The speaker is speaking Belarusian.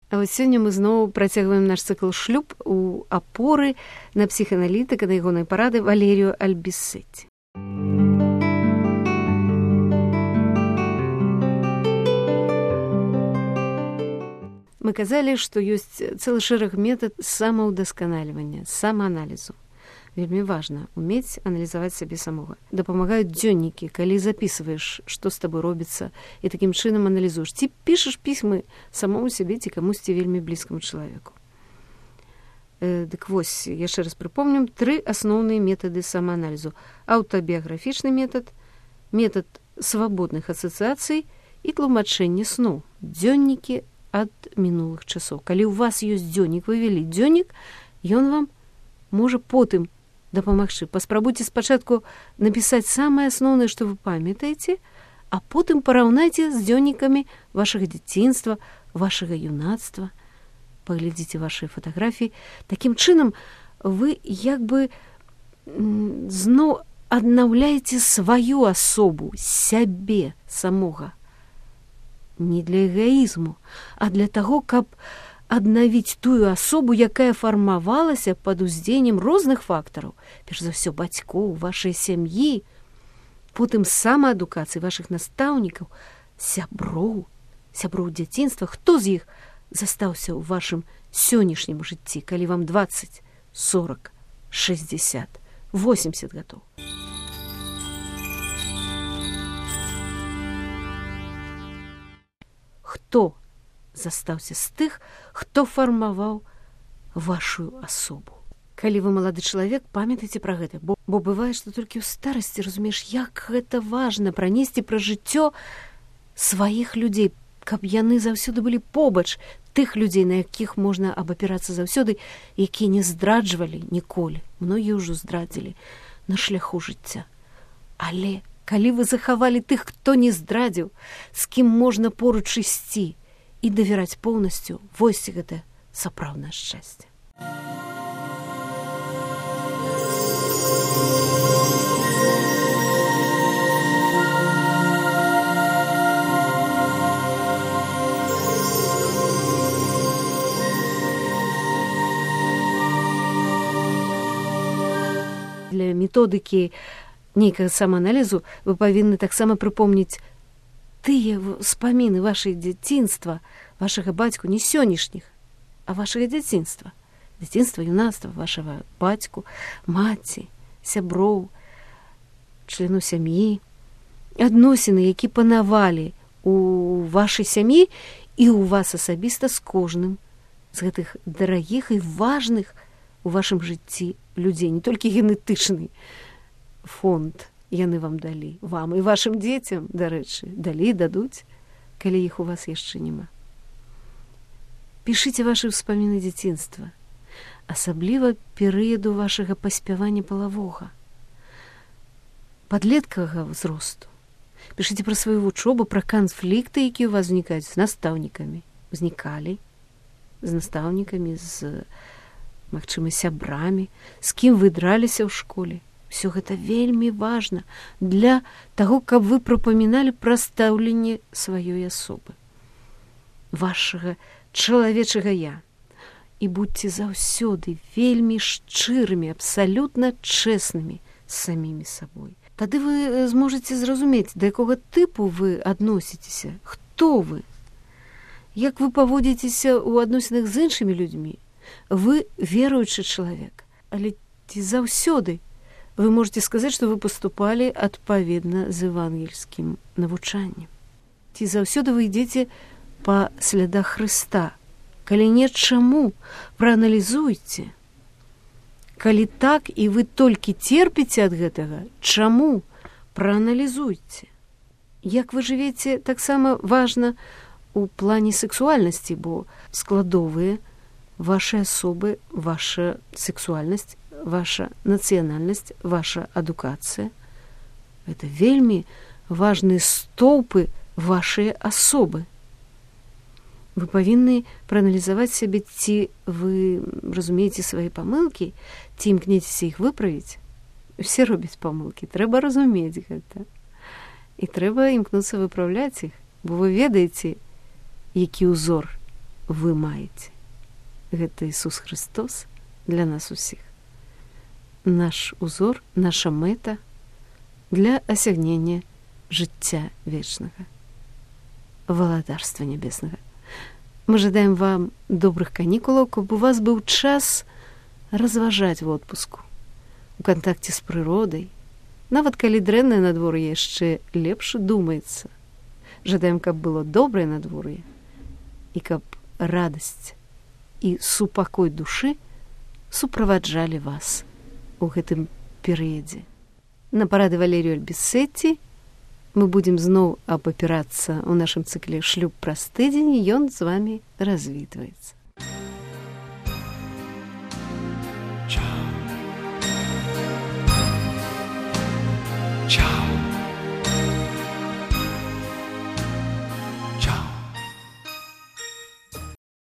А вось сёння мы зноў працягваем наш цыкл шлюб у апоры на псіхааналітыка, на ягонай парады Валерію Альбісетці. Мы казалі, што ёсць цэлы шэраг метад самаўдасканальвання, самааналізу. Вельмі важна умець аналізаваць сябе самога. Дапамагаюць дзённікі, калі запісваеш, што з табой робіцца, і такім чынам аналізуеш. Ці пішаш пісьмы самому сябе ці камусьці вельмі блізкаму чалавеку. Дык вось, яшчэ раз прыпомнім, 3 асноўныя метады самааналізу. Аўтабіяграфічны метад, метад свабодных асацыяцый і тлумачэнне сну. Дзённікі ад мінулых часоў. Калі ў вас ёсць дзённік, вы вялі дзённік, ён вам можа потым дапамагчы. Паспрабуйце спачатку напісаць самае асноўнае, што вы памятаеце, а потым параўнайце з дзённікамі вашага дзяцінства, вашага юнацтва. Паглядзіце вашыя фатаграфіі. Такім чынам вы як бы зноў аднаўляеце сваю асобу, сябе самога. Не для эгаізму, а для таго, каб аднавіць тую асобу, якая фармавалася пад уздзеяннем розных фактараў. Перш за ўсё бацькоў, вашай сям'і, потым самаадукацыі вашых настаўнікаў, сяброў дзяцінства. Хто з іх застаўся ў вашым сённяшнім жыцці, калі вам 20, 40, 60, 80 гадоў? Хто застаўся з тых, хто фармаваў вашу асобу? Калі вы малады чалавек, памятайце пра гэта, бо бывае, што толькі ў старасці разумееш, як гэта важна пранесці пра жыццё сваіх людзей, каб яны заўсёды былі побач, тых людзей, на якіх можна абапірацца заўсёды, якія не здраджвалі ніколі. Многія ўжо здрадзілі на шляху жыцця. Але калі вы захавалі тых, хто не здрадзіў, з кім можна поруч ісці і давяраць поўнасцю, вось гэта сапраўднае шчасце. Для методыкі нейкага самааналізу вы павінны таксама прыпомніць тыя ўспаміны вашай дзяцінства, вашага бацьку, не сённяшніх, а вашага дзяцінства. Дзяцінства, юнацтва, вашага бацьку, маці, сяброў, члену сям'і, адносіны, які панавалі у вашай сям'і і ў вас асабіста з кожным з гэтых дарагіх і важных у вашым жыцці людзей, не толькі генетычны фонд яны вам далі, вам і вашым дзецям, дарэчы, далі, дадуць, калі іх у вас яшчэ няма. Пішыце вашы ўспаміны дзяцінства, асабліва перыяду вашага паспявання палавога, падлеткавага ўзросту. Пішыце пра сваю вучобу, пра канфлікты, якія ў вас узнікаюць з настаўнікамі. Узнікалі з настаўнікамі, з, магчыма, сябрамі, з кім вы драліся ў школе. Усё гэта вельмі важна для таго, каб вы прапаміналі пра стаўленне сваёй асобы, вашага чалавечага я. І будьце заўсёды вельмі шчырымі, абсалютна чэснымі з самімі сабой. Тады вы зможаце зразумець, да якога тыпу вы адносіцеся, хто вы, як вы паводзіцеся ў адносінах з іншымі людзьмі. Вы веруючы чалавек, але ці заўсёды вы можете сказаць, што вы паступалі адпаведна з евангельскім навучаннем. Ці заўсёды вы ідзеце па слядах Хрыста. Калі не, чаму? Прааналізуйце. Калі так, і вы толькі терпіце ад гэтага, чаму? Прааналізуйце. Як вы жывеце, таксама важна у плане сексуальнасці, бо складовыя вашай асобы, ваша сексуальнасць, ваша нацыянальнасць, ваша адукацыя. Гэта вельмі важныя стоўпы вашай асобы. Вы павінны прааналізаваць сябе, ці вы разумееце свае памылкі, ці імкнецеся іх выправіць. Усе робяць памылкі, трэба разумець гэта. І трэба імкнуцца выпраўляць іх, бо вы ведаеце, які ўзор вы маеце. Гэта Ісус Христос для нас усіх. Наш узор, наша мэта для асягнення жыцця вечнага, валадарства нябеснага. Мы жадаем вам добрых канікулаў, каб у вас быў час разважаць в отпуску, у кантакце з прыродай. Нават калі дрэннае надвор'е, яшчэ лепш думаецца. Жадаем, каб было добрае надвор'е, і каб радасць і супакой душы суправаджалі вас у гэтым перыядзе. На парады Валерію Альбісетці мы будзем зноў абапірацца ў нашым цыкле «Шлюб праз тыдзень», і ён з вамі развітваецца.